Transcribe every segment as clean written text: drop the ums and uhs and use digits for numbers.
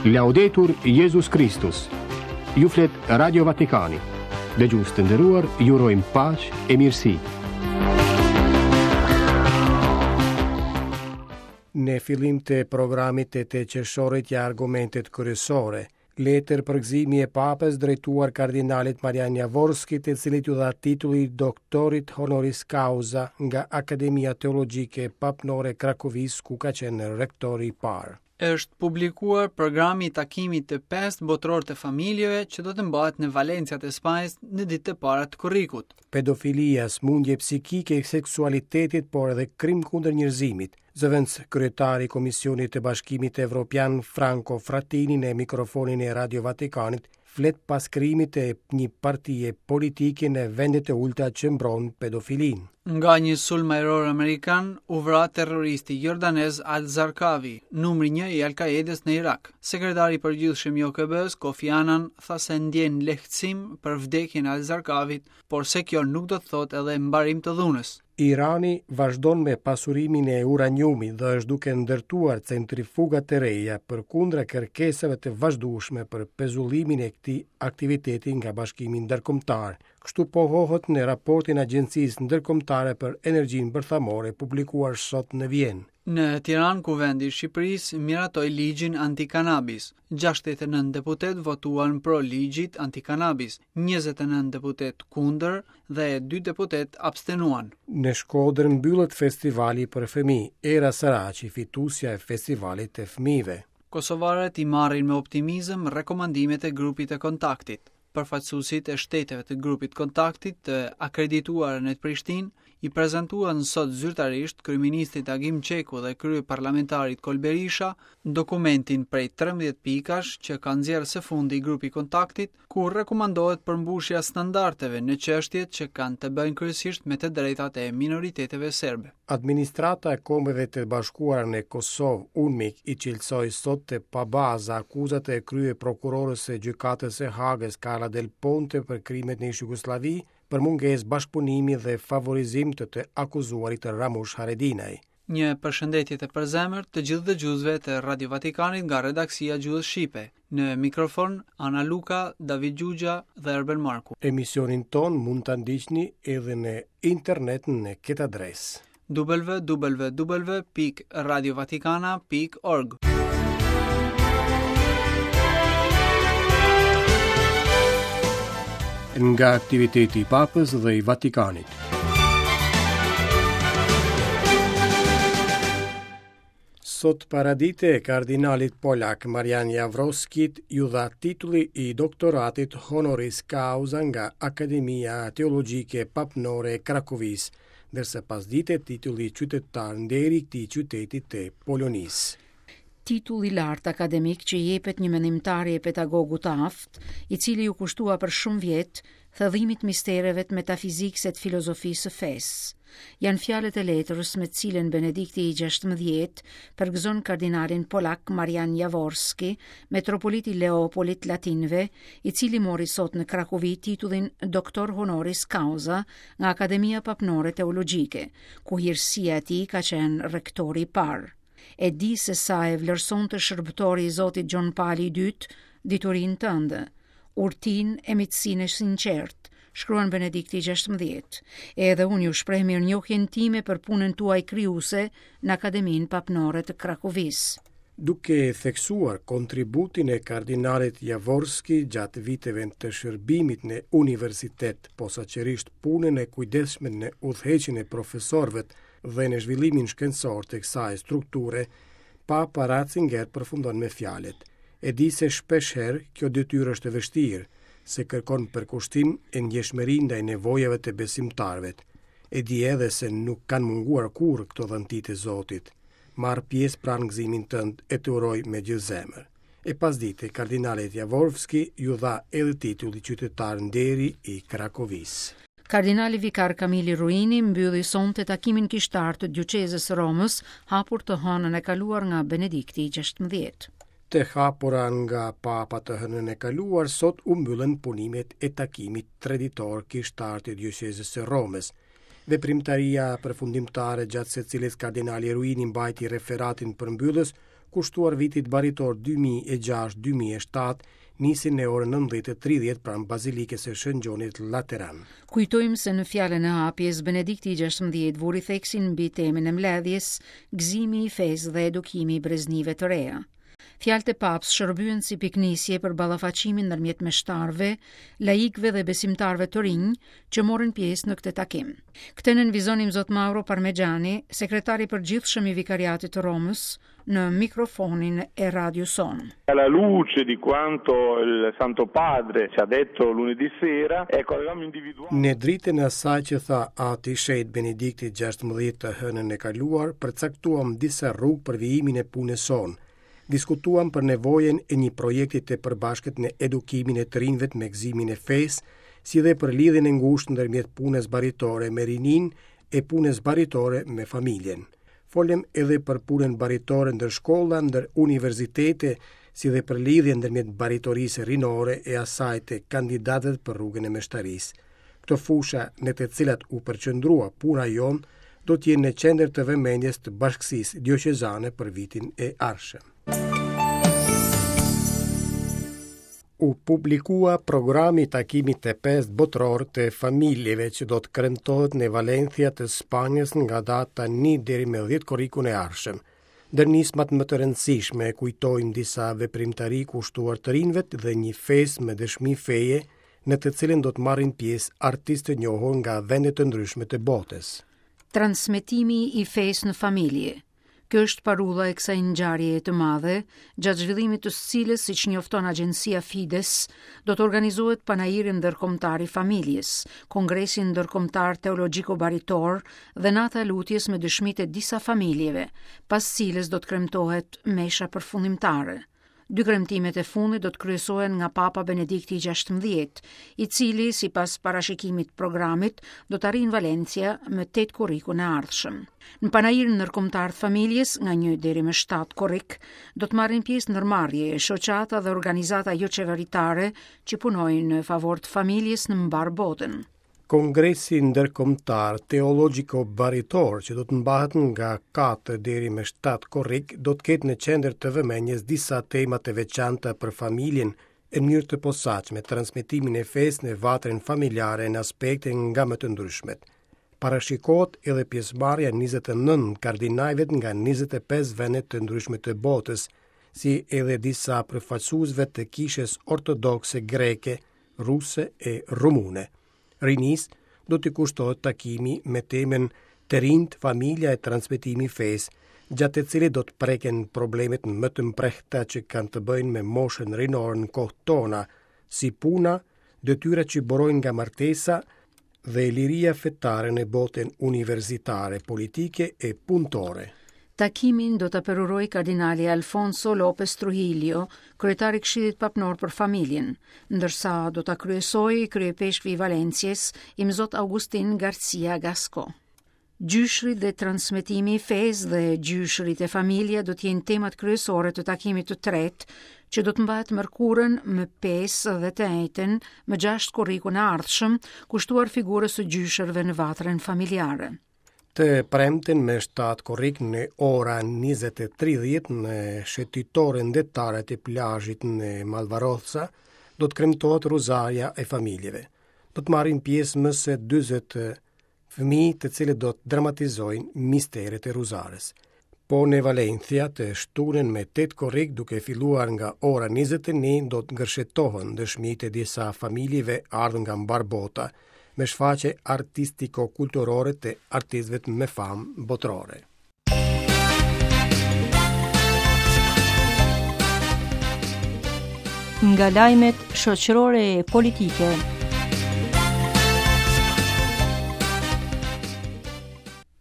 Laudetur Jezus Kristus. Ju flet Radio Vatikani. Dëgjues të nderuar, ju urojmë paqe e mirësi. Në fillim të programit të 8 qershorit ja argumentet kryesore. Letër përgëzimi e Papës drejtuar kardinalit Marian Javorski, të cilit iu dha titulli i doktorit honoris causa nga Akademia Teologjike Papnore e Krakovisë, ku ka qenë rektori i parë. Është publikuar programi i takimit të pestë botëror të familjeve që do të mbahet në Valencia të Spanjës në ditët e para të korrikut. Pedofilia, sëmundje psikike e seksualitetit, por edhe krim kundër njerëzimit. Zëvendëskryetari i Komisionit të Bashkimit Evropian, Franco Frattini në mikrofonin e Radio Vatikanit, flet pas krijimit të një partie politike në vendet e ulëta që mbron pedofilinë. Nga një sulm ajror amerikan u vra terroristi jordanez Al-Zarqawi, numri një i Al-Qaedës në Irak. Sekretari i Përgjithshëm i OKB-së, Kofi Annan, tha se ndjen lehtësim për vdekjen e Al-Zarqawit, por se kjo nuk do të thotë edhe mbarim të dhunës. Irani vazhdon me pasurimin e uraniumit dhe është duke ndërtuar centrifuga të reja përkundra kërkesave të vazhdueshme për pezullimin e këtij aktiviteti nga Bashkimi Ndërkombëtar. Kështu pohohet në raportin e Agjencisë Ndërkombëtare për Energjinë Bërthamore publikuar sot në Vjenë. Në Tiranë, Kuvendi i Shqipërisë miratoi ligjin antikanabis. 69 deputetë votuan pro ligjit antikanabis, 29 deputetë kundër dhe dy deputetë abstenuan. Në Shkodër mbyllet festivali për fëmijë, Era Saraçi fituesja e festivalit të fëmijëve. Kosovarët i marrin me optimizëm rekomandimet e grupit të kontaktit. Përfaqësuesit e shteteve të grupit të kontaktit të akredituar në Prishtinë i prezantuan sot zyrtarisht kryeministrit Agim Çeku dhe kryeparlamentarit Kol Berisha dokumentin prej 13 pikash që ka nxjerrë së fundi grupi i kontaktit, ku rekomandohet përmbushja e standardeve në çështjet që kanë të bëjnë kryesisht me të drejtat e minoriteteve serbe. Administrata e Kombeve të Bashkuara në Kosovë, UNMIK, i cilësoi sot të pabaza akuzat e kryeprokurores së Gjykatës së Hagës, Carla Del Ponte për krimet në ish-Jugosllavi, për mungesë bashkëpunimi dhe favorizim të të akuzuarit Ramush Haradinaj. Një përshëndetje të përzemërt të gjithë dëgjuesve të Radio Vatikanit nga redaksia e Gjuhës Shqipe. Në mikrofon Ana Luka, David Gjugja dhe Erben Marku. Emisionin tonë mund ta ndiqni edhe në internet në këtë adresë. www.radiovatikana.org Nga aktiviteti i Papës dhe i Vatikanit. Sot paradite, kardinalit polak Marian Javorskit iu dha titulli i doktoratit honoris causa nga Akademia Teologjike Papnore e Krakovisë, ndërsa pasdite titulli qytetar nderi i këtij qyteti të Polonisë. Titull i lartë akademik që i jepet një mendimtari e pedagogu të aftë, i cili iu kushtua për shumë vjet thellimit të mistereve të metafizikës e të filozofisë së fesë. Janë fjalët e letrës me të cilën Benedikti i XVI përgëzon kardinalin polak Marian Javorski, metropolit i Leopolit të Latinëve, i cili mori sot në Krakovi titullin Doktor Honoris Causa nga Akademia Papnore Teologjike, ku hirësia e tij ka qenë rektori i parë. E di se sa e vlerësonte shërbëtori i Zotit Gjon Pali i Dytë diturinë tënde, urtinë e miqësinë e sinqertë, shkruan Benedikti XVI. Edhe unë ju shpreh mirënjohjen time për punën tuaj krijuese në Akademinë Papnore të Krakovisë. Duke theksuar kontributin e kardinalit Javorski gjatë viteve të shërbimit në universitet, posaçërisht punën e kujdesshme në udhëheqjen e profesorëve dhe në zhvillimin shkencor të kësaj strukture, Papa Ratzinger përfundon me fjalët: E di se shpeshherë kjo detyrë është e vështirë, se kërkon përkushtim e ndjeshmëri ndaj nevojave të besimtarëve. E di edhe se nuk kanë munguar kurrë këto dhunti të Zotit. Marr pjesë pra në gëzimin tënd e të uroj me gjithë zemër. E pasdite, kardinalit Javorski iu dha edhe titulli qytetar nderi i Krakovisë. Kardinali vikar Kamili Ruini mbylli sonte takimin kishtar të Dioqezës së Romës, hapur të hënën e kaluar nga Benedikti i XVI. Të hapura nga Papa të hënën e kaluar, sot u mbyllën punimet e takimit treditor kishtar të Dioqezës së Romës. Veprimtaria përfundimtare gjatë së cilës kardinali Ruini mbajti referatin përmbyllës, kushtuar vitit baritor 2006-2007, nisi në orën 19:30 pranë Bazilikës së Shën Gjonit Lateran. Kujtojmë se në fjalën e hapjes Benedikti i 16 vuri theksin mbi temën e mbledhjes, gëzimi i fesë dhe edukimi i breznive të reja. Fjalët e Papës shërbyen si pikënisje për ballafaqimin ndërmjet meshtarëve, laikëve dhe besimtarëve të rinj që morën pjesë në këtë takim. Këtë nënvizon Imzot Mauro Parmeggiani, sekretar i përgjithshëm i Vikariatit të Romës, në mikrofonin e radios sonë. Alla luce di quanto il Santo Padre ci ha detto lunedì sera, ecco, avevamo individuato Në dritën e asaj që tha Ati i Shenjtë Benedikti 16 të hënën e kaluar, përcaktuam disa rrugë për vijimin e punës sonë. Diskutuam për nevojën e një projekti të përbashkët në edukimin e të rinjve me gëzimin e fesë, si dhe për lidhjen e ngushtë ndërmjet punës baritore me rininë e punës baritore me familjen. Folëm edhe për punën baritore ndër shkolla, ndër universitete, si dhe për lidhjen ndërmjet baritorisë rinore e asaj të kandidatëve për rrugën e meshtarisë. Këto fusha në të cilat u përqendrua puna jonë do të jenë në qendër të vëmendjes të bashkësisë dioqezane për vitin e ardhshëm. U publikua programi i takimit të pestë botëror të familjeve që do të kremtohet në Valencia të Spanjës nga data 1 deri më 10 korrikun e ardhshëm. Ndër nismat më të rëndësishme kujtojmë disa veprimtari kushtuar të rinjve dhe një festë me dëshmi feje në të cilën do të marrin pjesë artistë të njohur nga vende të ndryshme të botës. Transmetimi i fesë në familje. Kjo është parulla e kësaj ngjarjeje të madhe, gjatë zhvillimit të së cilës, siç njofton agjencia Fides, do të organizohet Panairi Ndërkombëtar i Familjes, Kongresi Ndërkombëtar Teologjiko-Baritor dhe Nata e Lutjes me dëshmitë e disa familjeve, pas cilës do të kremtohet mesha përfundimtare. Dy kremtimet e fundit do të kryesohen nga Papa Benedikti i 16, i cili, sipas parashikimit programit, do të arrijë në Valencia më 8 korrikun e ardhshëm. Në Panairin Ndërkombëtar të Familjes, nga 1 deri më 7 korrik, do të marrin pjesë ndërmarrje, shoqata dhe organizata joqeveritare që punojnë në favor të familjes në mbarë botën. Kongresi Ndërkombëtar Teologjiko-Baritor që do të mbahet nga 4 deri më 7 korrik do të ketë në qendër të vëmendjes disa tema të veçanta për familjen e në mënyrë të posaçme transmetimin e fesë në vatrën familjare në aspekte nga më të ndryshmet. Parashikohet edhe pjesëmarrja e 29 kardinajve nga 25 vende të ndryshme të botës, si edhe disa përfaqësuesve të Kishës Ortodokse Greke, ruse e rumune. Rinisë do t'i kushtohet takimi me temën Të rinjtë, familja e transmetimi i fesë, gjatë të cilit do të preken problemet më të mprehta që kanë të bëjnë me moshën rinore në kohët tona, si puna, detyrat që burojnë nga martesa dhe liria fetare në botën universitare, politike e punëtore. Takimin do ta përurojë kardinali Alfonso Lopez Trujillo, kryetar i Këshillit Papnor për Familjen, ndërsa do ta kryesojë kryeipeshkvi i Valenciës, Imzot Augustin Garcia Gasco. Gjyshërit dhe transmetimi i fesë dhe gjyshërit e familja do të jenë temat kryesore të takimit të tretë, që do të mbahet mërkurën më 5 dhe të enjten më 6 korrikun e ardhshëm, kushtuar figurës së gjyshërve në vatrën familjare. Të premten me 7 korrik në ora 20:30 në shëtitoren detare të plazhit në Malvarosa do të kremtohet Rozarja e familjeve. Do të marrin pjesë më se 40 fëmijë të cilët do të dramatizojnë misteret e Rozares. Po në Valencia të shtunën me 8 korrik duke filluar nga ora 21 do të gërshetohen dëshmitë e disa familjeve ardhur nga mbarë bota me shfaqje artistiko-kulturore të artistëve me famë botërore. Nga lajmet shoqërore e politike.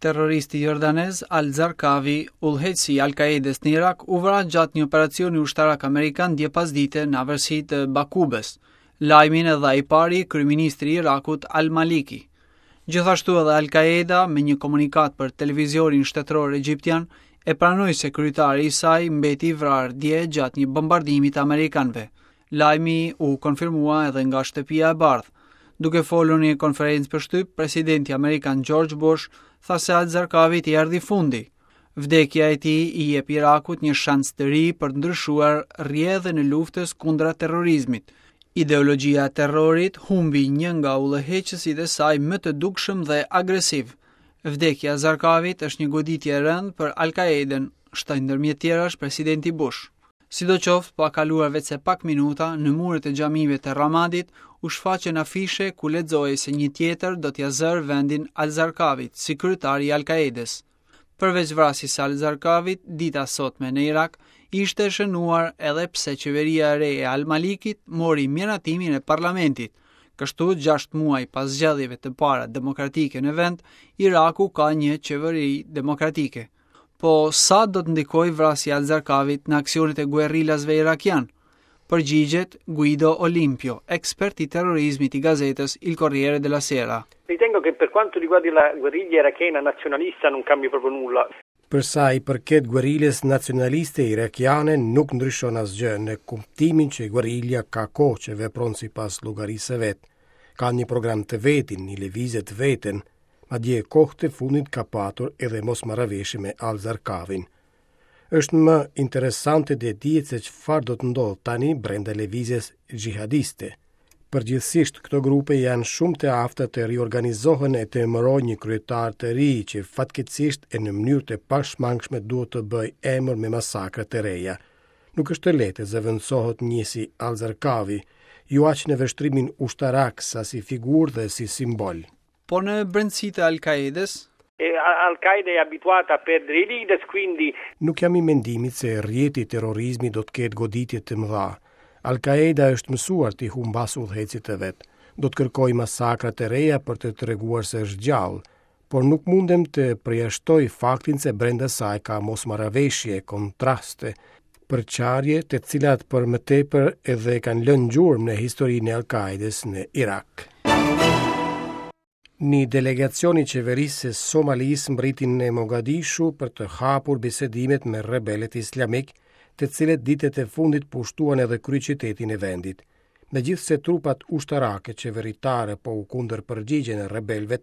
Terroristi jordanez Al-Zarqawi, udhëheqësi i Al-Qaedës në Irak, u vra gjatë një operacioni ushtarak amerikan dje pasdite në afërsi të Bakubës. Lajmin e dha i pari kryeministri i Irakut Al-Maliki. Gjithashtu edhe Al-Qaeda me një komunikatë për televizionin shtetëror egjiptian e pranoi se kryetari i saj mbeti i vrarë dje gjatë një bombardimi të amerikanëve. Lajmi u konfirmua edhe nga Shtëpia e Bardhë. Duke folur në një konferencë për shtyp, presidenti amerikan George Bush tha se Al-Zarqawit i erdhi fundi. Vdekja e tij i jep Irakut një shans të ri për të ndryshuar rrjedhën e luftës kundra terrorizmit. Ideologjia e terrorit humbi një nga udhëheqësit e saj më të dukshëm dhe agresiv. Vdekja e Zarkavit është një goditje e rëndë për Al-Qaedën, shtoi ndërmjet tjerash presidenti Bush. Sidoqoftë, pa kaluar veçse pak minuta, në muret e xhamive të Ramadit u shfaqën afishe ku lexohej se një tjetër do t'ia zërë vendin Al-Zarkavit si kryetar i Al-Qaedës. Përveç vrasjes së Al-Zarkavit, dita e sotme në Irak ishte e shënuar edhe pse qeveria e re e Al-Malikit mori miratimin e parlamentit. Kështu, 6 muaj pas zgjedhjeve të para demokratike në vend, Iraku ka një qeveri demokratike. Po sa do të ndikojë vrasja e Al-Zarkavit në aksionet e guerrilasve irakianë? Përgjigjet Guido Olimpio, ekspert i terrorizmit i gazetës Il Corriere della Sera. Ritengo che per quanto riguarda la guerriglia irachena nazionalista non cambi proprio nulla. Për sa i përket guerrilës nacionaliste irakiane nuk ndryshon asgjë në kuptimin që guerrilja ka kohë që vepron sipas llogarisë së vet. Ka një program të vetin, një lëvizje të veten, madje kohët e fundit ka patur edhe mosmarrëveshje me Al-Zarkavin. Është më interesante të dihet se çfarë do të ndodhë tani brenda lëvizjes xhihadiste. Përgjithësisht këto grupe janë shumë të afta të riorganizohen e të emërojnë një kryetar të ri që fatkeqësisht e në mënyrë të pashmangshme duhet të bëjë emër me masakra të reja. Nuk është e lehtë të zëvendësohet një si Al-Zarkavi, jo aq në vështrimin ushtarak sa si figurë dhe si simbol. Po në brendësi të Al-Qaedës? Al-Qaeda è abituata a perdere i leaders, quindi Nuk jam i mendimit se rrjeti i terrorizmit do të ketë goditje të mëdha. Al-Qaeda është mësuar t'i humbasë udhëheqësit e vet. Do të kërkojë masakra të reja për të treguar se është gjallë, por nuk mundem të përjashtoj faktin se brenda saj ka mosmarrëveshje, kontraste, përçarje të cilat për më tepër edhe kanë lënë gjurmë në historinë e Al-Qaedës në Irak. Një delegacion i qeverisë së Somalisë mbërriti në Mogadishu për të hapur bisedimet me rebelët islamikë, të cilët ditët e fundit pushtuan edhe kryeqytetin e vendit. Megjithëse trupat ushtarake qeveritare po u kundërpërgjigjen rebelëve,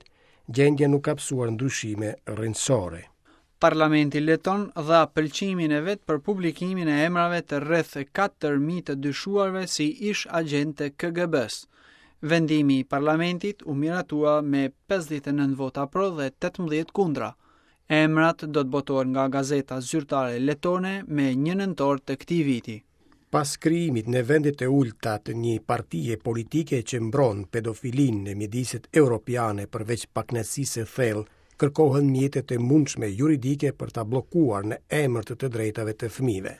gjendja nuk ka pësuar ndryshime rrënjësore. Parlamenti leton dha pëlqimin e vet për publikimin e emrave të rreth 4.000 të dyshuarve si ish-agjentë të KGB-së. Vendimi i parlamentit u miratua me 59 vota pro dhe 18 kundra. Emrat do të botohen nga gazeta zyrtare letone me 1 nëntor të këtij viti. Pas krijimit në vendet e ulëta të një partie politike që mbron pedofilinë në mjediset europiane përveç pakënaqësisë së thellë, kërkohen mjete të mundshme juridike për ta bllokuar në emër të të drejtave të fëmijëve.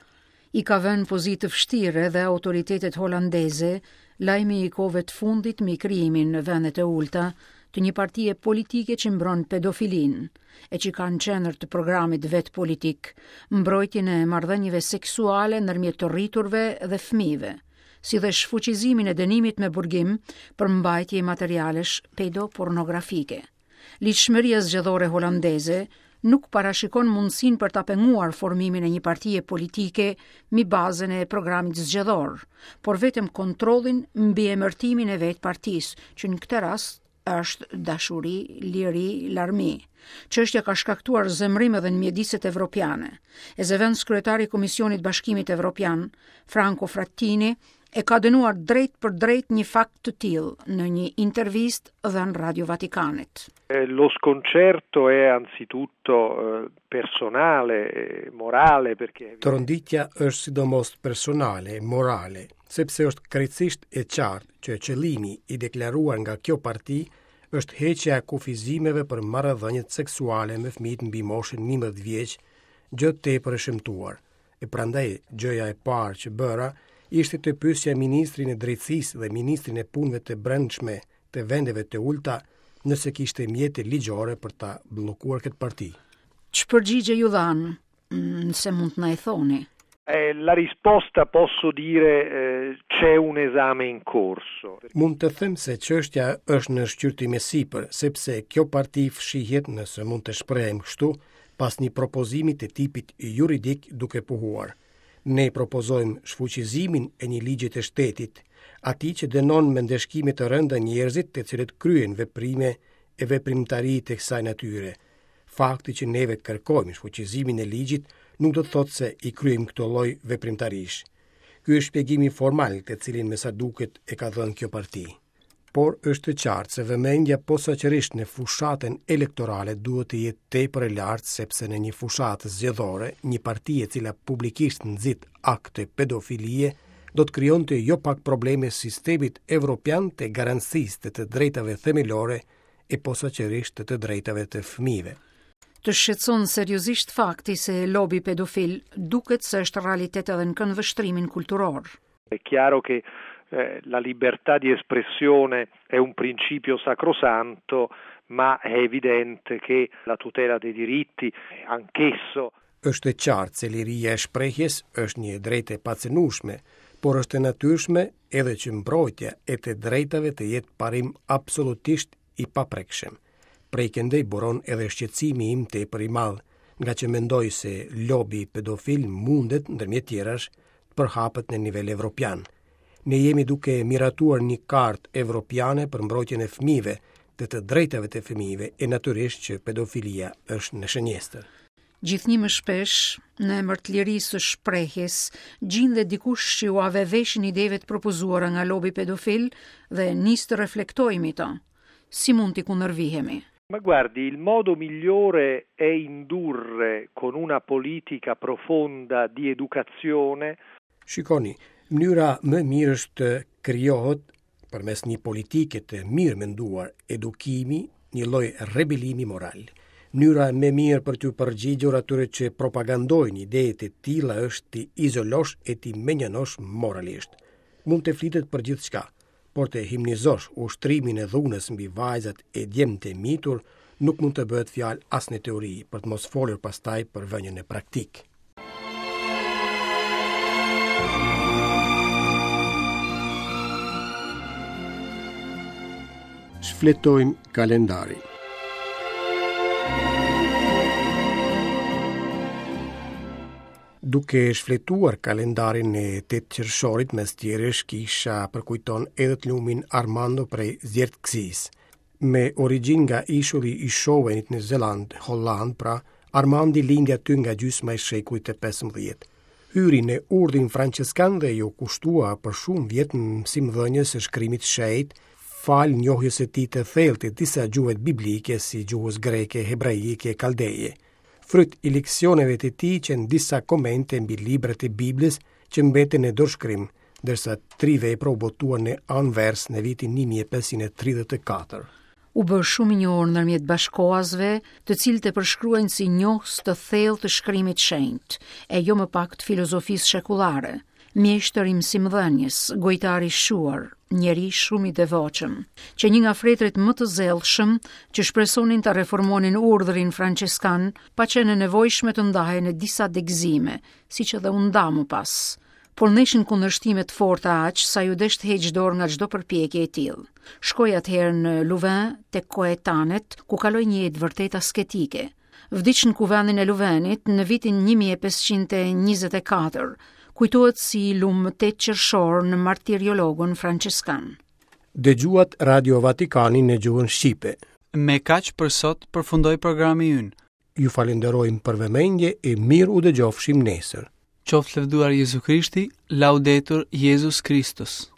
I ka vënë në pozitë të vështirë edhe autoritetet holandeze lajmi i kohëve të fundit mbi krijimin në vendet e ulëta të një partie politike që mbron pedofilinë e që ka në qendër të programit vet politik mbrojtjen e marrëdhënieve seksuale ndërmjet të rriturve dhe fëmijëve, si dhe shfuqizimin e dënimit me burgim për mbajtje materialesh pedopornografike. Ligjshmëria zgjedhore holandeze nuk parashikon mundësinë për ta penguar formimin e një partie politike mbi bazën e programit zgjedhor, por vetëm kontrollin mbi emërtimin e vetë partisë, që në këtë rast është dashuri, liri, larmi. Çështja ka shkaktuar zemërim edhe në mjediset evropiane. E zëvendëskryetari i Komisionit Bashkimit Evropian, Franco Frattini, e ka dënuar drejtpërdrejt një fakt të tillë në një intervistë dhënë Radio Vatikanit. Lo sconcerto è anzitutto personale, morale perché Tronditja është sidomos personale, morale, sepse është krejtësisht e qartë që qëllimi i deklaruar nga kjo parti është heqja e kufizimeve për marrëdhëniet seksuale me fëmijët mbi moshën 11 vjeç, gjë tepër e shëmtuar. E prandaj gjëja e parë që bëra ishte të pyesja ministrin e Drejtësisë dhe ministrin e Punëve të Brendshme të vendeve të ulëta nëse kishte mjete ligjore për ta bllokuar këtë parti. Ç'përgjigje ju dhanë, nëse mund të na e thoni? Eh, la risposta posso dire eh, c'è un esame in corso. Mund të them se çështja është në shqyrtim e sipër, sepse kjo parti fshihet, nëse mund të shprehem kështu, pas një propozimi të tipit juridik duke pohuar. Ne propozojmë shfuqizimin e një ligji të shtetit, atij që dënon me ndëshkime të rënda njerëzit të cilët kryejnë veprime e veprimtari të kësaj natyre. Fakti që neve kërkojmë shfuqizimin e ligjit nuk do të thotë se i kryejmë këto lloj veprimtarish. Ky është shpjegimi formal të cilin me sa duket e ka dhënë kjo parti. Por është e qartë se vëmendja posaçërisht në fushatën elektorale duhet të jetë tepër e lartë sepse në një fushatë zgjedhore, një parti e cila publikisht nxit akte pedofilie do të krijonte jo pak probleme sistemit evropian të garancisë të të drejtave themelore e posaçërisht të të drejtave të fëmijëve. Të shqetëson seriozisht fakti se lobi pedofil duket se është realitet edhe në këndvështrimin kulturor. È chiaro che eh, la libertà di espressione è un principio sacrosanto, ma è evidente che la tutela dei diritti anch'esso Është e qartë se liria e shprehjes është një e drejtë e pacenueshme, por është e natyrshme edhe që mbrojtja e të drejtave të jetë parim absolutisht i paprekshëm. Prej këndej buron edhe shqetësimi im tepër i madh, ngaqë mendoj se lobi pedofil mundet, ndërmjet tjerash, të përhapet në nivel evropian. Ne jemi duke miratuar një kartë evropiane për mbrojtjen e fëmijëve, të të drejtave të fëmijëve e natyrisht që pedofilia është në shënjestër. Gjithnjë më shpesh, në emër të lirisë së shprehjes, gjindet dikush që ua vë veshin ideve të propozuara nga lobi pedofil dhe nis të reflektojë mbi to. Si mund t'i kundërvihemi? Ma guardi, il modo migliore è indurre con una politica profonda di educazione Shikoni, mënyra më e mirë është të krijohet përmes një politike të mirëmenduar edukimi, një lloj rebelimi moral. Mënyra më e mirë për t'u përgjigjur atyre që propagandojnë ide të tilla është t'i izolosh e t'i mënjanosh moralisht. Mund të flitet për gjithçka, por të himnizosh ushtrimin e dhunës mbi vajzat e djemtë e mitur nuk mund të bëhet fjalë as në teori, për të mos folur pastaj për vënien në praktikë. Shfletojmë kalendarin. Duke shfletuar kalendarin e 8 qershorit mes tjerësh kisha përkujton edhe të lumin Armando prej Zierikzisë. Me origjinë nga ishulli i Schowenit në Zeland, Holland, pra, Armandi lindi aty nga gjysma e shekullit të 15. Hyri në urdhrin françeskan dhe iu kushtua për shumë vjet mësimdhënies së shkrimit të shenjtë, falë njohjes së tij të thellë të disa gjuhëve biblike si gjuhës greke, hebraike e kaldeje. Fryt i leksioneve të tij qenë disa komente mbi librat e Biblës që mbetën në dorëshkrim, ndërsa tri vepra u botuan në Anvers në vitin 1534. U bë shumë i njohur ndërmjet bashkëkohasve, të cilët e përshkruajnë si njohës të thellë të shkrimit të shenjtë, e jo më pak të filozofisë shekullare. Mjeshtër i mësimdhënies, gojëtar i shquar, njeri shumë i devotshëm, qe një nga fretërit më të zellshëm që shpresonin ta reformonin urdhrin françeskan, pa qenë e nevojshme të ndahej në disa degëzime, siç edhe u nda më pas. Por ndeshin kundërshtime të forta aq sa iu desh të heqë dorë nga çdo përpjekje e tillë. Shkoi atëherë në Louvain tek Koetanet, ku kaloi një jetë vërtet asketike. Vdiq në kuvendin e Luvenit në vitin 1524. Kujtohet si i lum më 8 qershor në martiriologun françeskan. Dëgjuat Radio Vatikanin në gjuhën shqipe. Me kaq për sot përfundoi programi ynë. Ju falenderojmë për vëmendje e mirë u dëgjofshim nesër. Qoftë lëvduar Jezu Krishti, Laudetur Jezus Kristus.